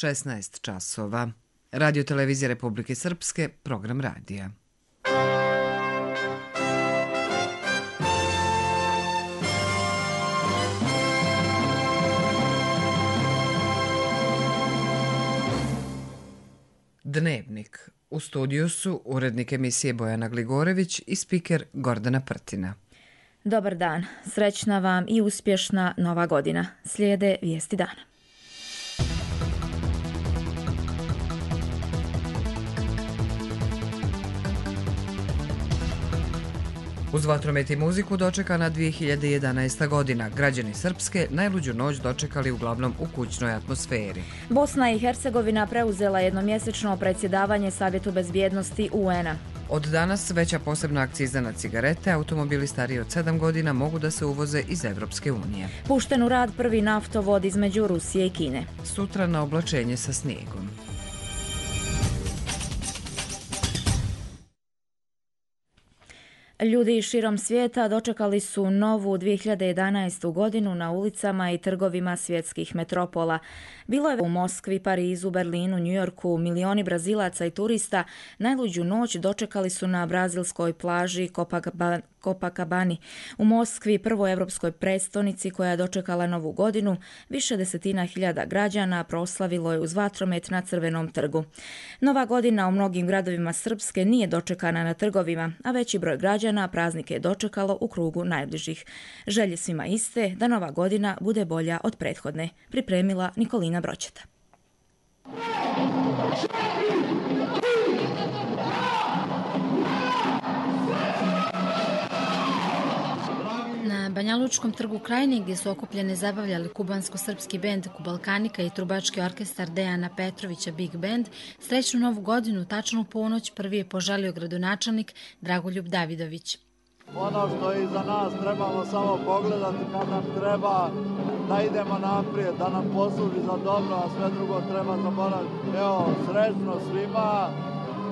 16 časova. Radio Televizija Republike Srpske, program radija. Dnevnik. U studiju su urednik emisije Bojana Gligorević i spiker Gordana Prtina. Dobar dan, srećna vam i uspješna nova godina. Slijede vijesti dana. Uz vatromet i muziku dočekana 2011. godina. Građani Srpske najluđu noć dočekali uglavnom u kućnoj atmosferi. Bosna i Hercegovina preuzela jednomjesečno predsjedavanje Savjetu bezbjednosti UN-a. Od danas veća posebna akciza na cigarete, automobili stariji od 7 godina mogu da se uvoze iz Evropske unije. Pušten u rad prvi naftovod između Rusije i Kine. Sutra na oblačenje sa snijegom. Ljudi širom svijeta dočekali su novu 2011. godinu na ulicama i trgovima svjetskih metropola. Bilo je u Moskvi, Parizu, Berlinu, Njujorku, milioni Brazilaca i turista najluđu noć dočekali su na brazilskoj plaži Copacabani. U Moskvi, prvoj evropskoj prestonici koja je dočekala novu godinu, više desetina hiljada građana proslavilo je uz vatromet na Crvenom trgu. Nova godina u mnogim gradovima Srpske nije dočekana na trgovima, a veći broj građana praznike je dočekalo u krugu najbližih. Želje svima iste da nova godina bude bolja od prethodne, pripremila Nikolina Broćeta. Na Banjalučkom trgu Krajine, gdje su okupljene zabavljali kubansko-srpski bend Kubalkanika i trubački orkestar Dejana Petrovića Big Band, srećnu novu godinu tačno u ponoć prvi je poželio gradonačelnik Dragoljub Davidović. Ono što je iza nas trebamo samo pogledati kad nam treba da idemo naprijed, da nam posluži za dobro, a sve drugo treba zaboraviti. Evo, srećno svima.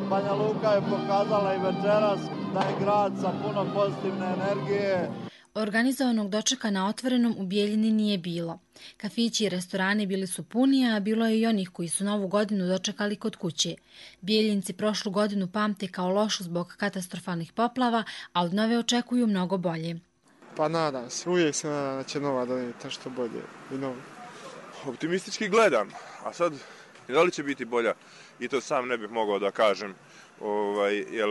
Banja Luka je pokazala i večeras da je grad sa puno pozitivne energije. Organizovanog dočeka na otvorenom u Bijeljini nije bilo. Kafići i restorani bili su puni, a bilo je i onih koji su novu godinu dočekali kod kuće. Bijeljinci prošlu godinu pamte kao lošu zbog katastrofalnih poplava, a od nove očekuju mnogo bolje. Pa nadam se, uvijek se nadam da će nova donijeti što bolje i novo. Optimistički gledam, a sad da li će biti bolja i to sam ne bih mogao da kažem, jer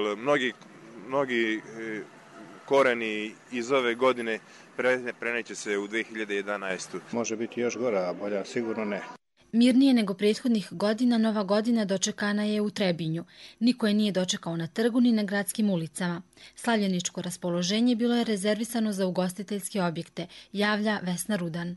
mnogi koreni iz ove godine preneće se u 2011. Može biti još gora, a bolja sigurno ne. Mirnije nego prethodnih godina, nova godina dočekana je u Trebinju. Niko je nije dočekao na trgu ni na gradskim ulicama. Slavljeničko raspoloženje bilo je rezervisano za ugostiteljske objekte, javlja Vesna Rudan.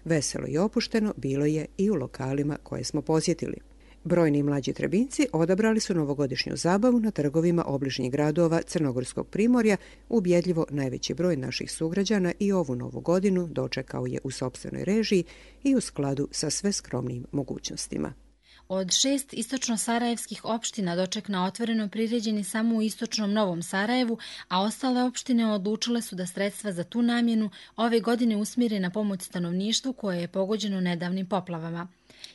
Veselo i opušteno bilo je i u lokalima koje smo posjetili. Brojni mlađi Trebinci odabrali su novogodišnju zabavu na trgovima obližnjih gradova Crnogorskog primorja. Ubjedljivo najveći broj naših sugrađana i ovu novu godinu dočekao je u sopstvenoj režiji i u skladu sa sve skromnim mogućnostima. Od 6 istočno-sarajevskih opština doček na otvorenom priređen je samo u istočnom Novom Sarajevu, a ostale opštine odlučile su da sredstva za tu namjenu ove godine usmjere na pomoć stanovništvu koje je pogođeno nedavnim poplavama.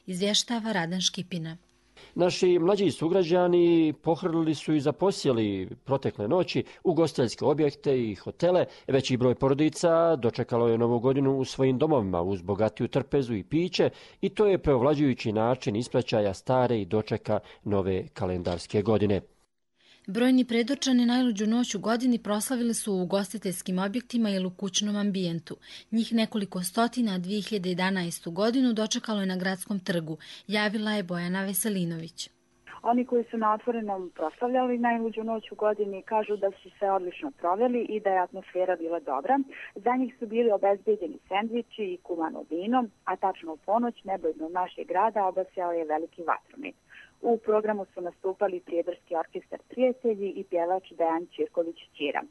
Izvještava Radan Škipina. Naši mlađi sugrađani pohrlili su i zaposjeli protekle noći ugostiteljske objekte i hotele. Veći broj porodica dočekalo je novu godinu u svojim domovima uz bogatiju trpezu i piće i to je preovlađujući način ispraćaja stare i dočeka nove kalendarske godine. Brojni predočani najluđu noć u godini proslavili su u ugostiteljskim objektima ili u kućnom ambijentu. Njih nekoliko stotina 2011. godinu dočekalo je na gradskom trgu, javila je Bojana Veselinović. Oni koji su na otvorenom proslavljali najluđu noć u godini kažu da su se odlično proveli i da je atmosfera bila dobra. Za njih su bili obezbeđeni sendviči i kumano vino, a tačno u ponoć nebo iznad našeg grada obasjao je veliki vatromet. U programu su nastupali Prijedarski orkestar Prijatelji i pjevač Dejan Ćirković-Ćira.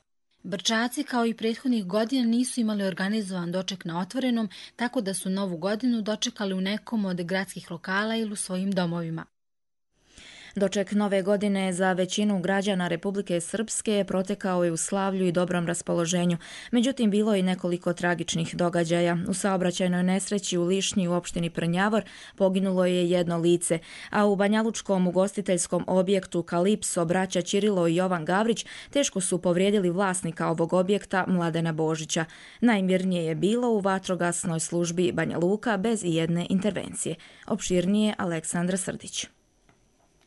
Brčaci kao i prethodnih godina nisu imali organizovan doček na otvorenom, tako da su novu godinu dočekali u nekom od gradskih lokala ili u svojim domovima. Doček nove godine za većinu građana Republike Srpske protekao je u slavlju i dobrom raspoloženju. Međutim, bilo je i nekoliko tragičnih događaja. U saobraćajnoj nesreći u Lišnji u opštini Prnjavor poginulo je jedno lice, a u banjalučkom ugostiteljskom objektu Kalipso braća Ćirilo i Jovan Gavrić teško su povrijedili vlasnika ovog objekta Mladena Božića. Najmirnije je bilo u vatrogasnoj službi Banja Luka bez ijedne intervencije. Opširnije Aleksandra Srdić.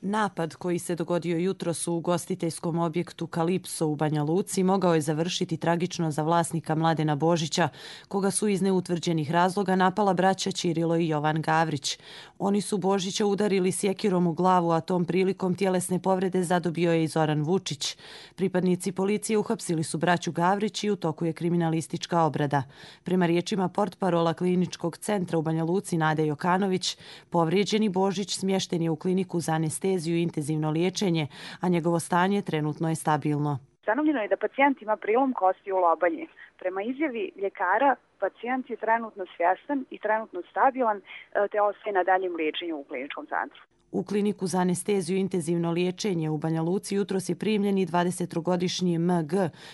Napad koji se dogodio jutros u ugostiteljskom objektu Kalipso u Banja Luci mogao je završiti tragično za vlasnika Mladena Božića, koga su iz neutvrđenih razloga napala braća Ćirilo i Jovan Gavrić. Oni su Božića udarili sjekirom u glavu, a tom prilikom tjelesne povrede zadobio je i Zoran Vučić. Pripadnici policije uhapsili su braću Gavrić i u toku je kriminalistička obrada. Prema riječima portparola kliničkog centra u Banja Luci Nade Jokanović, povrijeđeni Božić smješten je u kliniku za anesteziju i intenzivno liječenje, a njegovo stanje trenutno je stabilno. Ustanovljeno je da pacijent ima prilom kosti u lobanji. Prema izjavi ljekara, pacijent je trenutno svjestan i trenutno stabilan, te ostaje na daljem liječenju u kliničkom centru. U kliniku za anesteziju i intenzivno liječenje u Banja Luci jutros je primljen i 23-godišnji MG,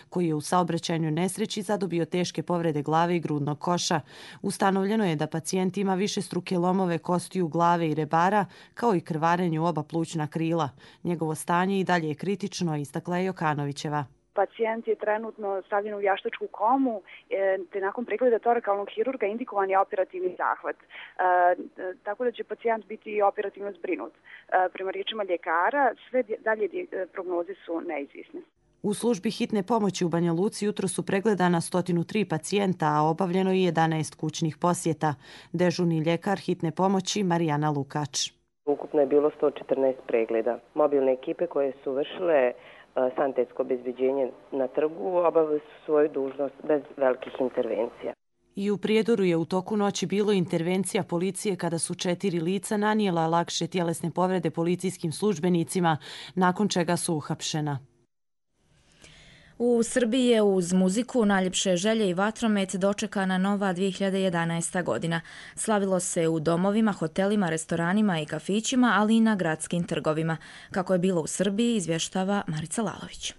koji je u saobraćajnoj nesreći zadobio teške povrede glave i grudnog koša. Ustanovljeno je da pacijent ima višestruke lomove kostiju glave i rebara, kao i krvarenje u oba plućna krila. Njegovo stanje i dalje je kritično, istakla je Jokanovićeva. Pacijent je trenutno stavljen u vještačku komu, te nakon pregleda torakalnog hirurga indikovan je operativni zahvat. Tako da će pacijent biti operativno zbrinut. Prema riječima ljekara, sve dalje prognoze su neizvisne. U službi hitne pomoći u Banja Luci jutro su pregledana 103 pacijenta, a obavljeno je 11 kućnih posjeta. Dežurni ljekar hitne pomoći Marijana Lukač. Ukupno je bilo 114 pregleda. Mobilne ekipe koje su vršile sanitetsko obezbeđenje na trgu obavili su svoju dužnost bez velikih intervencija. I u Prijedoru je u toku noći bilo intervencija policije kada su 4 lica nanijela lakše tjelesne povrede policijskim službenicima, nakon čega su uhapšena. U Srbiji je uz muziku, najljepše želje i vatromet dočekana nova 2011. godina. Slavilo se u domovima, hotelima, restoranima i kafićima, ali i na gradskim trgovima. Kako je bilo u Srbiji, izvještava Marica Lalović.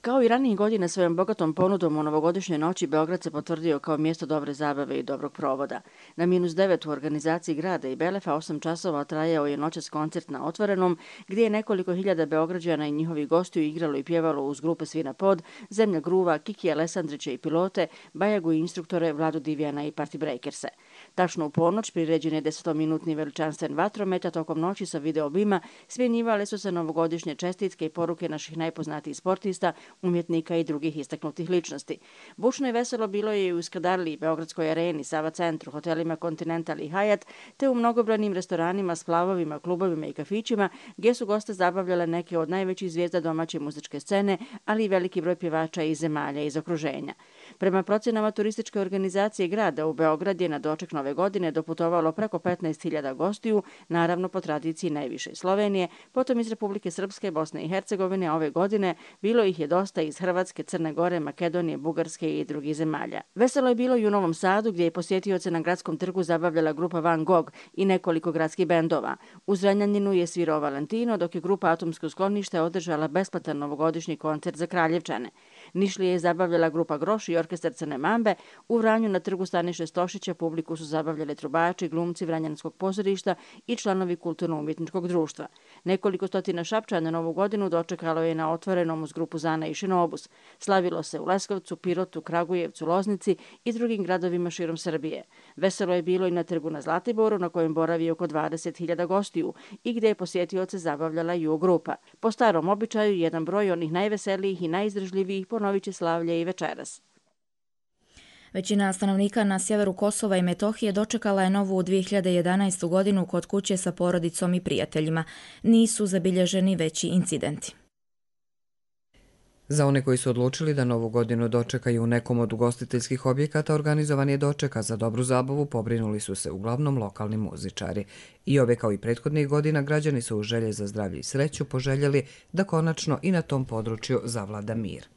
Kao i ranijih godina svojom bogatom ponudom u novogodišnjoj noći Beograd se potvrdio kao mjesto dobre zabave i dobrog provoda. Na -9 u organizaciji grada i Belefa 8 časova trajao je noćas koncert na otvorenom, gdje je nekoliko hiljada Beograđana i njihovih gostiju igralo i pjevalo uz grupe Svina Pod, Zemlja Gruva, Kiki Alessandrića i Pilote, Bajagu i instruktore Vladu Divijana i Party Breakerse. Tačno u ponoć priređen je 10-minutni veličanstven vatromet, a tokom noći sa videobima smjenjivale su se novogodišnje čestitke i poruke naših najpoznatijih sportista, umjetnika i drugih istaknutih ličnosti. Bučno i veselo bilo je i u Skadarliji, Beogradskoj areni, Sava centru, hotelima Continental i Hyatt, te u mnogobrojnim restoranima, splavovima, klubovima i kafićima, gdje su goste zabavljale neke od najvećih zvijezda domaće muzičke scene, ali i veliki broj pjevača iz zemalja iz okruženja. Prema procjenama turističke organizacije grada, u Beograd je na doček nove godine doputovalo preko 15.000 gostiju, naravno po tradiciji najviše iz Slovenije, potom iz Republike Srpske, Bosne i Hercegovine, a ove godine bilo ih je dosta iz Hrvatske, Crne Gore, Makedonije, Bugarske i drugih zemalja. Veselo je bilo i u Novom Sadu, gdje je posjetioce na gradskom trgu zabavljala grupa Van Gogh i nekoliko gradskih bendova. U Zrenjaninu je svirao Valentino, dok je grupa Atomsko sklonište održala besplatan novogodišnji koncert za Kraljevčane. Nišlije je zabavljala grupa Groš i orkestar Crne Mambe. U Vranju na trgu Staniše Stošića publiku su zabavljali trubači, glumci Vranjanskog pozorišta i članovi kulturno-umjetničkog društva. Nekoliko stotina Šapčana Novu godinu dočekalo je na otvorenom uz grupu Zana i Šinobus. Slavilo se u Leskovcu, Pirotu, Kragujevcu, Loznici i drugim gradovima širom Srbije. Veselo je bilo i na trgu na Zlatiboru, na kojem boravi oko 20.000 gostiju i gdje je posjetioce zabavljala Ju grupa. Po starom običaju, jedan broj onih najveselijih i najizdržljivijih ponovit će slavlje i večeras. Većina stanovnika na sjeveru Kosova i Metohije dočekala je novu 2011. godinu kod kuće sa porodicom i prijateljima. Nisu zabilježeni veći incidenti. Za one koji su odlučili da novu godinu dočekaju u nekom od ugostiteljskih objekata, organizovan je doček, a za dobru zabavu pobrinuli su se uglavnom lokalni muzičari. I ove kao i prethodnih godina građani su u želje za zdravlje i sreću poželjeli da konačno i na tom području zavlada mir.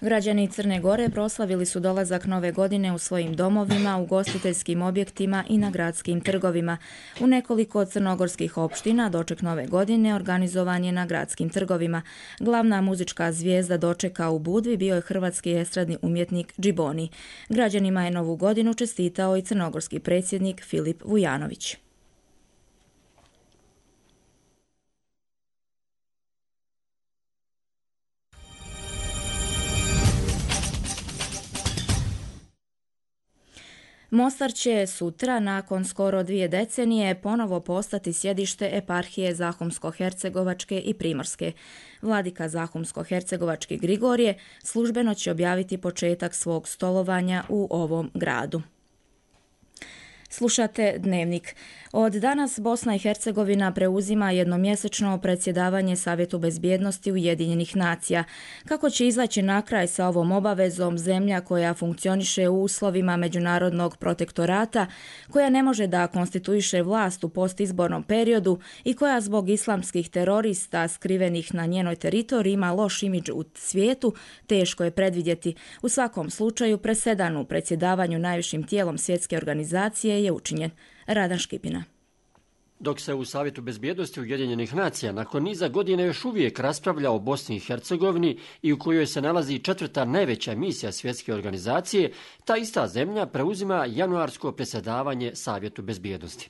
Građani Crne Gore proslavili su dolazak nove godine u svojim domovima, ugostiteljskim objektima i na gradskim trgovima. U nekoliko crnogorskih opština doček nove godine organizovan je na gradskim trgovima. Glavna muzička zvijezda dočeka u Budvi bio je hrvatski estradni umjetnik Džiboni. Građanima je novu godinu čestitao i crnogorski predsjednik Filip Vujanović. Mostar će sutra, nakon skoro 2 decenije, ponovo postati sjedište eparhije Zahumsko-hercegovačke i Primorske. Vladika Zahumsko-hercegovački Grigorije službeno će objaviti početak svog stolovanja u ovom gradu. Slušate Dnevnik. Od danas Bosna i Hercegovina preuzima jednomjesečno predsjedavanje Savjetu bezbjednosti Ujedinjenih nacija. Kako će izaći na kraj sa ovom obavezom zemlja koja funkcioniše u uslovima međunarodnog protektorata, koja ne može da konstituiše vlast u postizbornom periodu i koja zbog islamskih terorista skrivenih na njenoj teritoriji ima loš imidž u svijetu, teško je predvidjeti. U svakom slučaju presedan u predsjedavanju najvišim tijelom svjetske organizacije je učinjen. Radan Škipina. Dok se u Savjetu bezbjednosti Ujedinjenih nacija nakon niza godina još uvijek raspravlja o Bosni i Hercegovini i u kojoj se nalazi 4. najveća misija svjetske organizacije, ta ista zemlja preuzima januarsko predsjedavanje Savjetu bezbjednosti.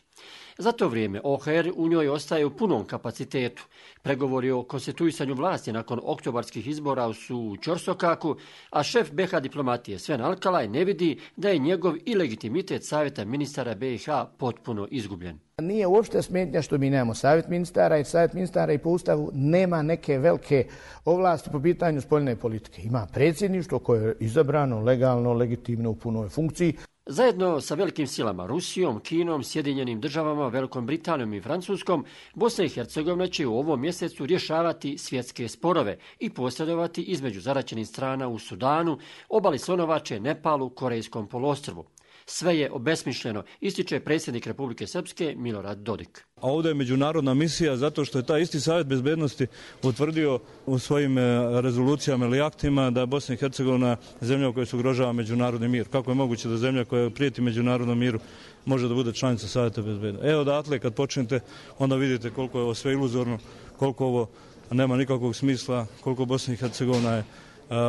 Za to vrijeme OHR u njoj ostaje u punom kapacitetu. Pregovori o konstituisanju vlasti nakon oktobarskih izbora su u ćorsokaku, a šef BiH diplomatije Sven Alkalaj ne vidi da je njegov i legitimitet Savjeta ministara BiH potpuno izgubljen. Nije uopšte smetnja što mi nemamo Savjet ministara, jer Savjet ministara i po Ustavu nema neke velike ovlasti po pitanju spoljne politike. Ima predsjedništvo koje je izabrano legalno, legitimno u punoj funkciji. Zajedno sa velikim silama Rusijom, Kinom, Sjedinjenim državama, Velikom Britanijom i Francuskom, Bosna i Hercegovina će u ovom mjesecu rješavati svjetske sporove i posredovati između zaraćenih strana u Sudanu, obali Slonovače, Nepalu, Korejskom poluostrvu. Sve je obesmišljeno, ističe predsjednik Republike Srpske Milorad Dodik. A ovdje je međunarodna misija zato što je taj isti Savjet bezbednosti utvrdio u svojim rezolucijama ili aktima da je Bosna i Hercegovina zemlja u kojoj se ugrožava međunarodni mir. Kako je moguće da zemlja koja prijeti međunarodnom miru može da bude članica Savjeta bezbednosti? Evo odatle kad počnete onda vidite koliko je ovo sve iluzorno, koliko ovo nema nikakvog smisla, koliko Bosna i Hercegovina je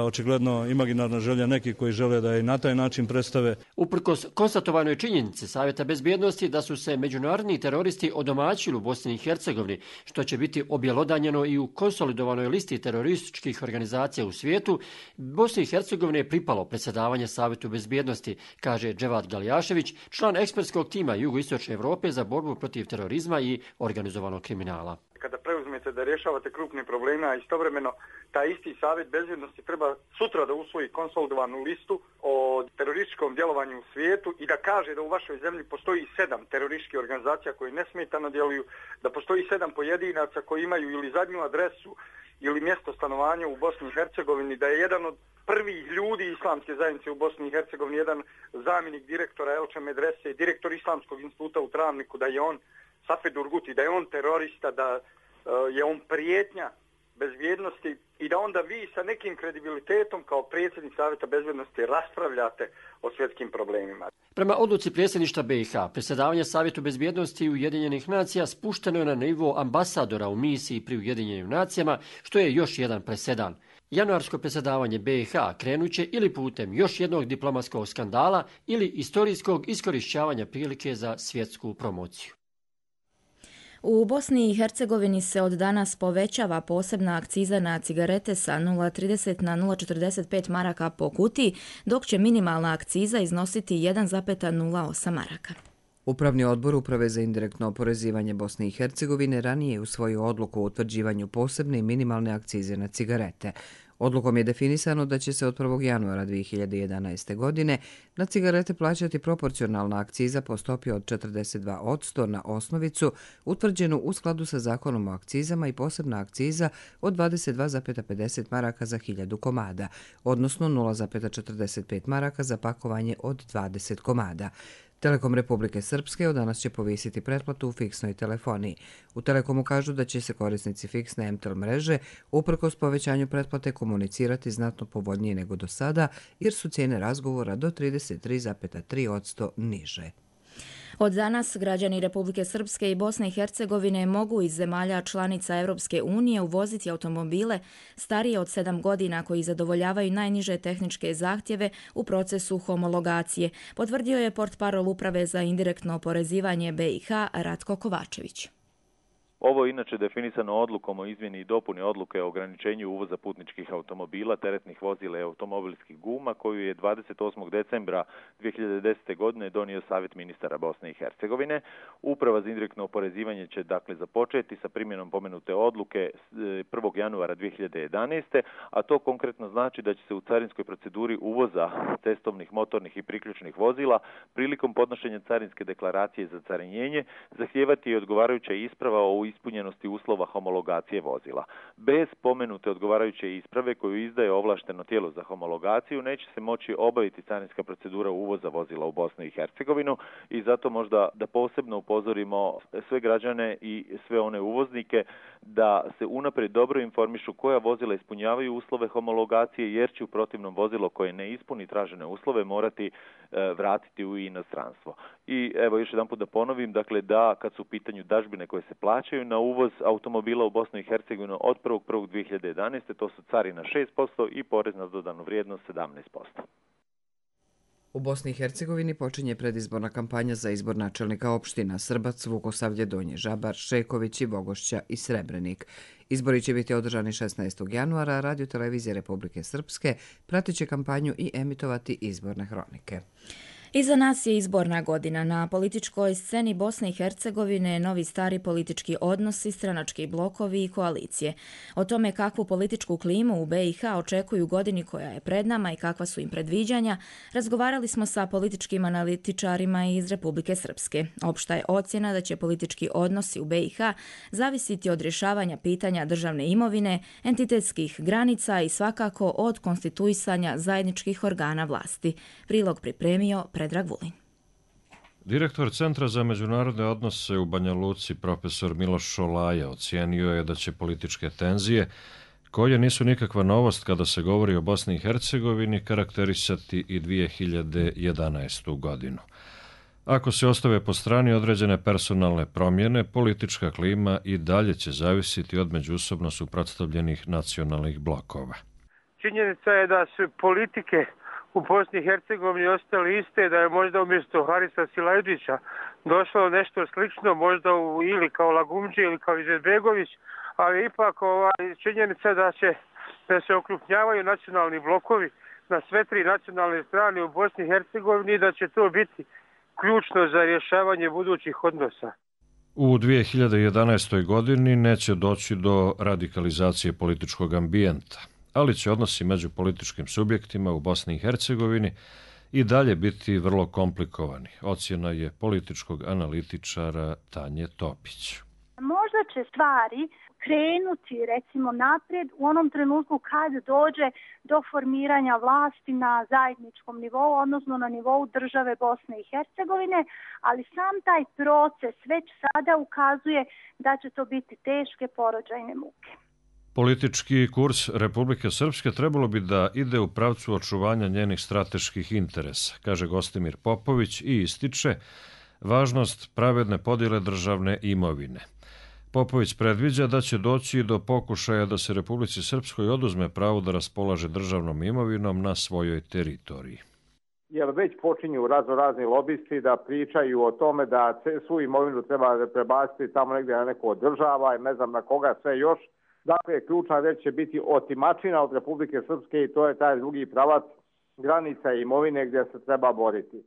očigledno imaginarna želja neki koji žele da je na taj način predstave. Uprkos konstatovanoj činjenici Savjeta bezbjednosti da su se međunarodni teroristi odomaćili u Bosni i Hercegovini, što će biti objelodanjeno i u konsolidovanoj listi terorističkih organizacija u svijetu, Bosni i Hercegovini je pripalo predsjedavanje Savjetu bezbjednosti, kaže Dževad Galjašević, član ekspertskog tima Jugoistočne Europe za borbu protiv terorizma i organizovanog kriminala. Kada preuzmete da rješavate krupne probleme, a istovremeno taj isti Savjet bezbjednosti treba sutra da usvoji konsolidovanu listu o terorističkom djelovanju u svijetu i da kaže da u vašoj zemlji postoji 7 terorističkih organizacija koje nesmetano djeluju, da postoji 7 pojedinaca koji imaju ili zadnju adresu ili mjesto stanovanja u Bosni i Hercegovini, da je jedan od prvih ljudi islamske zajednice u Bosni i Hercegovini, jedan zamjenik direktora Elče Medrese, direktor Islamskog instituta u Travniku, da je on Safed Urguti, da je on terorista, da je on prijetnja bezbjednosti i da onda vi sa nekim kredibilitetom kao predsjednik Savjeta bezbjednosti raspravljate o svjetskim problemima. Prema odluci predsjedništva BiH, predsjedavanje Savjetu bezbjednosti Ujedinjenih nacija spušteno je na nivo ambasadora u misiji pri Ujedinjenim nacijama, što je još jedan presedan. Januarsko predsjedavanje BiH krenuće ili putem još jednog diplomatskog skandala ili istorijskog iskorišćavanja prilike za svjetsku promociju. U Bosni i Hercegovini se od danas povećava posebna akciza na cigarete sa 0,30 na 0,45 maraka po kutiji, dok će minimalna akciza iznositi 1,08 maraka. Upravni odbor Uprave za indirektno oporezivanje Bosne i Hercegovine ranije je usvojio odluku o utvrđivanju posebne i minimalne akcize na cigarete. Odlukom je definisano da će se od 1. januara 2011. godine na cigarete plaćati proporcionalna akciza po stopi od 42% na osnovicu, utvrđenu u skladu sa zakonom o akcizama i posebna akciza od 22,50 maraka za 1000 komada, odnosno 0,45 maraka za pakovanje od 20 komada. Telekom Republike Srpske od danas će povisiti pretplatu u fiksnoj telefoniji. U Telekomu kažu da će se korisnici fiksne MTEL mreže uprkos povećanju pretplate komunicirati znatno povoljnije nego do sada, jer su cijene razgovora do 33,3% niže. Od danas građani Republike Srpske i Bosne i Hercegovine mogu iz zemalja članica Europske unije uvoziti automobile starije od 7 godina koji zadovoljavaju najniže tehničke zahtjeve u procesu homologacije, potvrdio je portparol Uprave za indirektno oporezivanje BiH Ratko Kovačević. Ovo je inače definisano odlukom o izmjeni i dopuni odluke o ograničenju uvoza putničkih automobila, teretnih vozila i automobilskih guma, koju je 28. decembra 2010. godine donio Savjet ministara Bosne i Hercegovine. Uprava za indirektno oporezivanje će dakle započeti sa primjenom pomenute odluke 1. januara 2011. a to konkretno znači da će se u carinskoj proceduri uvoza cestovnih, motornih i priključnih vozila prilikom podnošenja carinske deklaracije za carinjenje zahtijevati i odgovarajuća isprava o ispunjenosti uslova homologacije vozila. Bez pomenute odgovarajuće isprave koju izdaje ovlašteno tijelo za homologaciju neće se moći obaviti carinska procedura uvoza vozila u Bosnu i Hercegovinu i zato možda da posebno upozorimo sve građane i sve one uvoznike da se unaprijed dobro informišu koja vozila ispunjavaju uslove homologacije, jer će u protivnom vozilo koje ne ispuni tražene uslove morati vratiti u inostranstvo. I evo još jedanput da ponovim, dakle da kad su u pitanju dažbine koje se plaćaju na uvoz automobila u Bosnu i Hercegovinu od 1.1.2011. to su carina 6% i porez na dodanu vrijednost 17%. U Bosni i Hercegovini počinje predizborna kampanja za izbor načelnika opština Srbac, Vukosavlje, Donji Žabar, Šekovići, Bogošća i Srebrenik. Izbori će biti održani 16. januara, a Radio televizija Republike Srpske pratit će kampanju i emitovati izborne hronike. Iza nas je izborna godina. Na političkoj sceni Bosne i Hercegovine novi stari politički odnosi, stranački blokovi i koalicije. O tome kakvu političku klimu u BiH očekuju godini koja je pred nama i kakva su im predviđanja, razgovarali smo sa političkim analitičarima iz Republike Srpske. Opšta je ocjena da će politički odnosi u BiH zavisiti od rješavanja pitanja državne imovine, entitetskih granica i svakako od konstituisanja zajedničkih organa vlasti. Prilog pripremio Predrag Vulin. Direktor Centra za međunarodne odnose u Banja Luci, profesor Miloš Šolaja, ocijenio je da će političke tenzije, koje nisu nikakva novost kada se govori o Bosni i Hercegovini, karakterisati i 2011. godinu. Ako se ostave po strani određene personalne promjene, politička klima i dalje će zavisiti od međusobno suprotstavljenih nacionalnih blokova. Činjenica je da su politike u Bosni i Hercegovini ostali iste, da je možda umjesto Harisa Silajdžića došlo nešto slično, možda ili kao Lagumđi ili kao Izetbegović, ali ipak činjenica da se okrupnjavaju nacionalni blokovi na sve tri nacionalne strane u Bosni i Hercegovini i da će to biti ključno za rješavanje budućih odnosa. U 2011. godini neće doći do radikalizacije političkog ambijenta, ali će odnosi među političkim subjektima u Bosni i Hercegovini i dalje biti vrlo komplikovani. Ocjena je političkog analitičara Tanje Topić. Možda će stvari krenuti recimo naprijed u onom trenutku kad dođe do formiranja vlasti na zajedničkom nivou, odnosno na nivou države Bosne i Hercegovine, ali sam taj proces već sada ukazuje da će to biti teške porođajne muke. Politički kurs Republike Srpske trebalo bi da ide u pravcu očuvanja njenih strateških interesa, kaže Gostimir Popović i ističe važnost pravedne podjele državne imovine. Popović predviđa da će doći do pokušaja da se Republici Srpskoj oduzme pravo da raspolaže državnom imovinom na svojoj teritoriji. Jer već počinju razni lobisti da pričaju o tome da svu imovinu treba prebaciti tamo negdje na neko od država i ne znam na koga sve još. Dakle, ključna reč će biti otimačina od Republike Srpske i to je taj drugi pravac granica imovine gdje se treba boriti.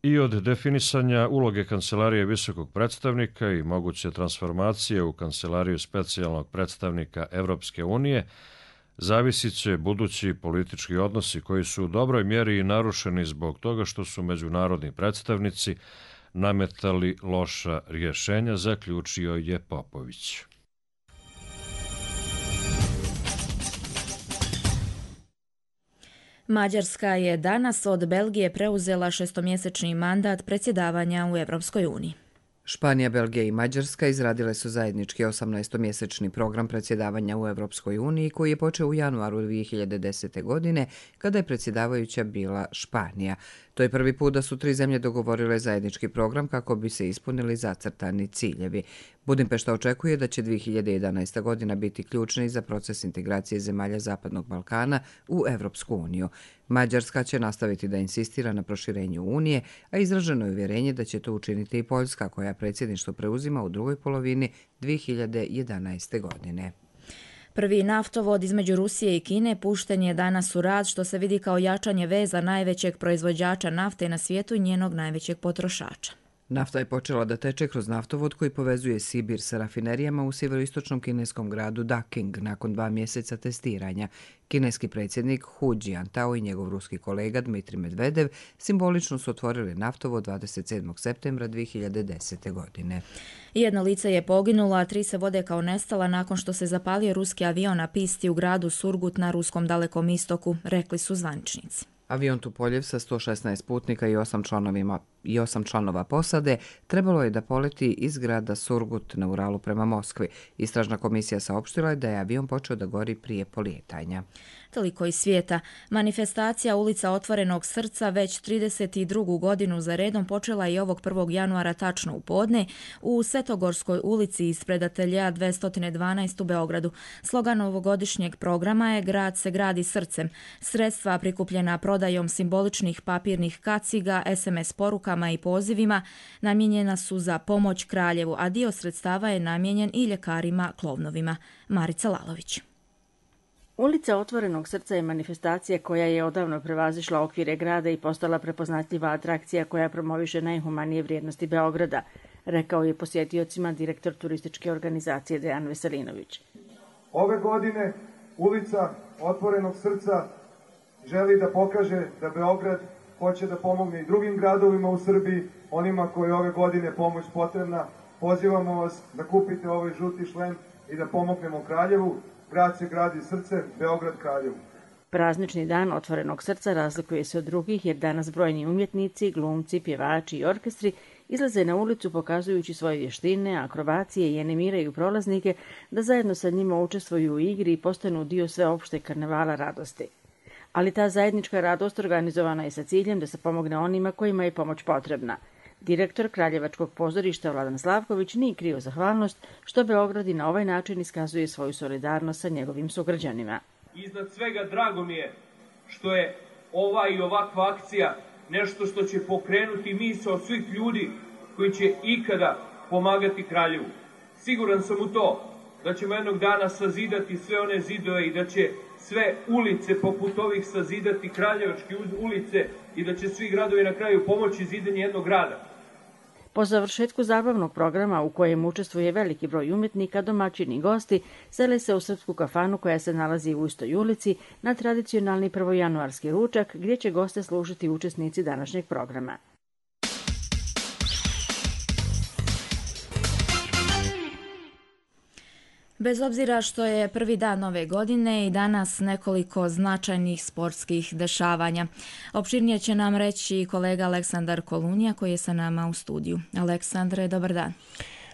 I od definisanja uloge Kancelarije visokog predstavnika i moguće transformacije u Kancelariju specijalnog predstavnika Evropske unije zavisit će budući politički odnosi koji su u dobroj mjeri i narušeni zbog toga što su međunarodni predstavnici nametali loša rješenja, zaključio je Popović. Mađarska je danas od Belgije preuzela šestomjesečni mandat predsjedavanja u Europskoj uniji. Španija, Belgija i Mađarska izradile su zajednički 18-mjesečni program predsjedavanja u Europskoj uniji koji je počeo u januaru 2010. godine kada je predsjedavajuća bila Španija. To je prvi put da su tri zemlje dogovorile zajednički program kako bi se ispunili zacrtani ciljevi. Budimpešta očekuje da će 2011. godina biti ključna za proces integracije zemalja Zapadnog Balkana u Europsku uniju. Mađarska će nastaviti da insistira na proširenju Unije, a izraženo je uvjerenje da će to učiniti i Poljska, koja predsjedništvo preuzima u drugoj polovini 2011. godine. Prvi naftovod između Rusije i Kine pušten je danas u rad, što se vidi kao jačanje veza najvećeg proizvođača nafte na svijetu i njenog najvećeg potrošača. Nafta je počela da teče kroz naftovod koji povezuje Sibir sa rafinerijama u sjeveroistočnom kineskom gradu Daking nakon 2 mjeseca testiranja. Kineski predsjednik Hu Jintao i njegov ruski kolega Dmitrij Medvedev simbolično su otvorili naftovod 27. septembra 2010. godine. Jedno lice je poginulo, a 3 se vode kao nestala nakon što se zapalio ruski avion na pisti u gradu Surgut na ruskom Dalekom istoku, rekli su zvaničnici. Avion Tupoljev sa 116 putnika i 8 članova posade trebalo je da poleti iz grada Surgut na Uralu prema Moskvi. Istražna komisija saopštila je da je avion počeo da gori prije polijetanja. Toliko iz svijeta. Manifestacija Ulica otvorenog srca već 32. godinu za redom počela je ovog 1. januara tačno u podne u Svetogorskoj ulici ispred ateljea 212 u Beogradu. Slogan ovogodišnjeg programa je Grad se gradi srcem. Sredstva prikupljena prodajom simboličnih papirnih kaciga, SMS porukama i pozivima namijenjena su za pomoć Kraljevu, a dio sredstava je namijenjen i ljekarima klovnovima. Marica Lalović. Ulica otvorenog srca je manifestacija koja je odavno prevazišla okvire grada i postala prepoznatljiva atrakcija koja promoviše najhumanije vrijednosti Beograda, rekao je posjetiocima direktor turističke organizacije Dejan Veselinović. Ove godine Ulica otvorenog srca želi da pokaže da Beograd hoće da pomogne i drugim gradovima u Srbiji, onima koji ove godine pomoć potrebna. Pozivamo vas da kupite ovaj žuti šlem i da pomognemo Kraljevu. Grad se gradi srce, Beograd Kraljevu. Praznični dan otvorenog srca razlikuje se od drugih jer danas brojni umjetnici, glumci, pjevači i orkestri izlaze na ulicu pokazujući svoje vještine, akrobacije i animiraju prolaznike da zajedno sa njima učestvuju u igri i postanu dio sveopšte karnevala radosti. Ali ta zajednička radost organizovana je sa ciljem da se pomogne onima kojima je pomoć potrebna. Direktor Kraljevačkog pozorišta Vladan Slavković nije krio zahvalnost što Beograd i na ovaj način iskazuje svoju solidarnost sa njegovim sugrađanima. Iznad svega drago mi je što je ova i ovakva akcija nešto što će pokrenuti misao svih ljudi koji će ikada pomagati Kraljevu. Siguran sam u to da ćemo jednog dana sazidati sve one zidove i da će sve ulice poput ovih sazidati Kraljevačke ulice i da će svi gradovi na kraju pomoći zidanju jednog grada. Po završetku zabavnog programa u kojem učestvuje veliki broj umjetnika, domaćini i gosti sele se u srpsku kafanu koja se nalazi u istoj ulici na tradicionalni prvojanuarski ručak gdje će goste služiti učesnici današnjeg programa. Bez obzira što je prvi dan nove godine i danas nekoliko značajnih sportskih dešavanja. Opširnije će nam reći kolega Aleksandar Kolunija koji je sa nama u studiju. Aleksandre, dobar dan.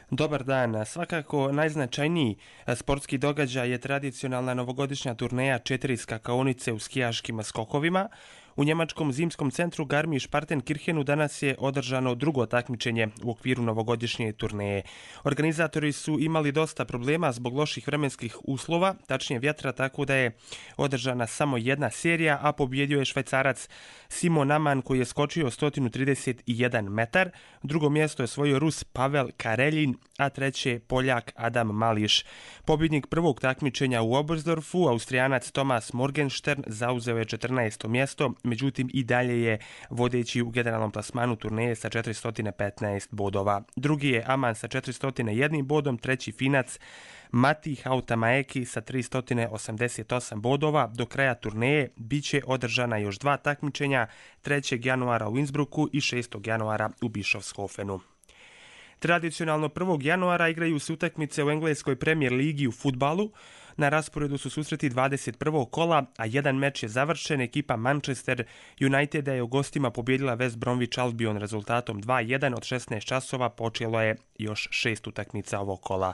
Dobar dan. Svakako najznačajniji sportski događaj je tradicionalna novogodišnja turneja 4 skakaonice u skijaškim skokovima. U njemačkom zimskom centru Garmisch-Partenkirchenu danas je održano drugo takmičenje u okviru novogodišnje turneje. Organizatori su imali dosta problema zbog loših vremenskih uslova, tačnije vjetra, tako da je održana samo jedna serija, a pobjedio je Švajcarac Simon Amann koji je skočio 131 metar. Drugo mjesto je osvojio Rus Pavel Kareljin, a treće Poljak Adam Mališ. Pobjednik prvog takmičenja u Oberstdorfu, Austrijanac Thomas Morgenstern, zauzeo je 14. mjesto, međutim i dalje je vodeći u generalnom plasmanu turneje sa 415 bodova. Drugi je Amann sa 401 bodom, treći Finac Mati Hautamaeki sa 388 bodova. Do kraja turneje bit će održana još 2 takmičenja, 3. januara u Innsbrucku i 6. januara u Bischofshofenu. Tradicionalno 1. januara igraju se utakmice u engleskoj Premier ligi u fudbalu. Na rasporedu su susreti 21. kola, a jedan meč je završen. Ekipa Manchester Uniteda je u gostima pobjedila West Bromwich Albion rezultatom 2-1. Od 16 časova počelo je još 6 utakmica ovog kola.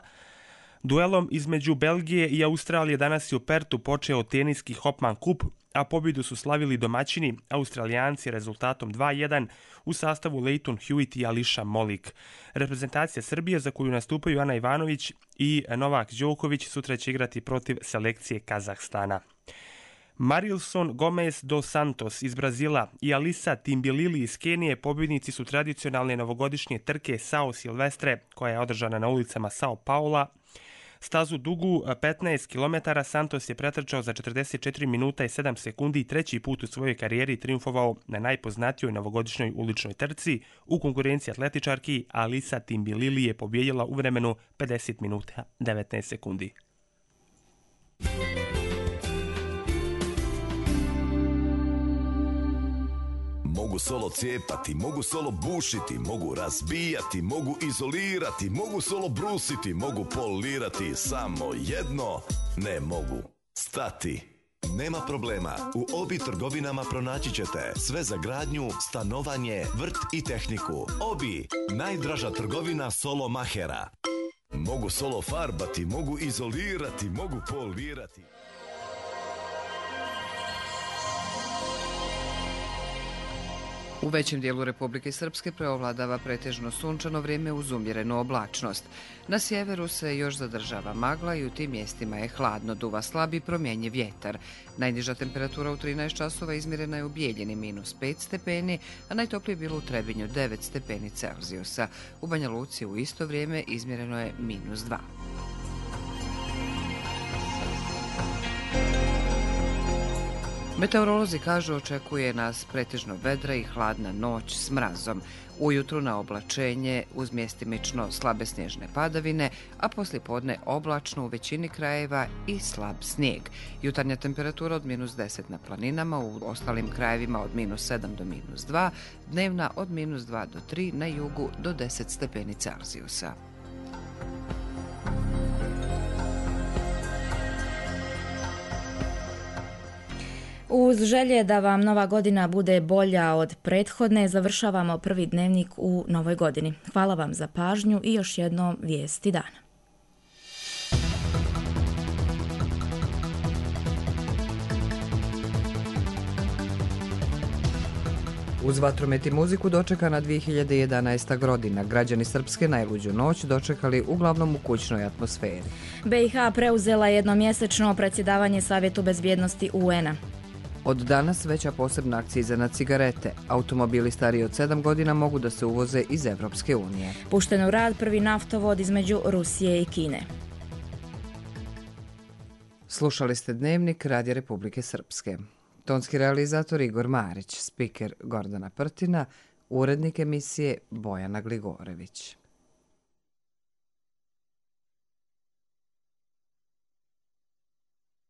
Duelom između Belgije i Australije danas je u Pertu počeo teniski Hopman Cup, a pobjedu su slavili domaćini Australijanci rezultatom 2-1 u sastavu Leighton Hewitt i Alisha Molik. Reprezentacija Srbije, za koju nastupaju Ana Ivanović i Novak Đoković, sutra će igrati protiv selekcije Kazahstana. Marilson Gomez dos Santos iz Brazila i Alisa Timbilili iz Kenije pobjednici su tradicionalne novogodišnje trke Sao Silvestre, koja je održana na ulicama Sao Paula. Stazu dugu 15 km Santos je pretrčao za 44 minuta i 7 sekundi i treći put u svojoj karijeri triumfovao na najpoznatijoj novogodišnjoj uličnoj trci. U konkurenciji atletičarki Alisa Timbilili je pobjedila u vremenu 50 minuta 19 sekundi. Mogu solo cijepati, mogu solo bušiti, mogu razbijati, mogu izolirati, mogu solo brusiti, mogu polirati, samo jedno ne mogu stati. Nema problema, u Obi trgovinama pronaći ćete sve za gradnju, stanovanje, vrt i tehniku. Obi, najdraža trgovina solo mahera. Mogu solo farbati, mogu izolirati, mogu polirati. U većem dijelu Republike Srpske preovladava pretežno sunčano vrijeme uz umjerenu oblačnost. Na sjeveru se još zadržava magla i u tim mjestima je hladno, duva slab i promjenjiv vjetar. Najniža temperatura u 13 časova izmjerena je u Bijeljini -5 stepeni, a najtoplije je bilo u Trebinju 9 stepeni Celzijusa. U Banja Luci u isto vrijeme izmjereno je -2. Meteorolozi kažu očekuje nas pretežno vedra i hladna noć s mrazom. Ujutru na oblačenje uz mjestimično slabe snježne padavine, a poslijepodne oblačno u većini krajeva i slab snijeg. Jutarnja temperatura od -10 na planinama, u ostalim krajevima od -7 do -2, dnevna od -2 do 3, na jugu do 10 stepeni Celzijusa. Uz želje da vam nova godina bude bolja od prethodne, završavamo prvi dnevnik u novoj godini. Hvala vam za pažnju i još jednom vijesti dana. Uz vatromet i muziku dočekana 2011. godina. Građani Srpske najluđu noć dočekali uglavnom u kućnoj atmosferi. BiH preuzela jednomjesečno predsjedavanje Savjetu bezbjednosti UN-a. Od danas veća posebna akciza na cigarete. Automobili stariji od 7 godina mogu da se uvoze iz Evropske unije. Pušten u rad prvi naftovod između Rusije i Kine. Slušali ste dnevnik Radija Republike Srpske. Tonski realizator Igor Marić, spiker Gordana Prtina, urednik emisije Bojana Gligorević.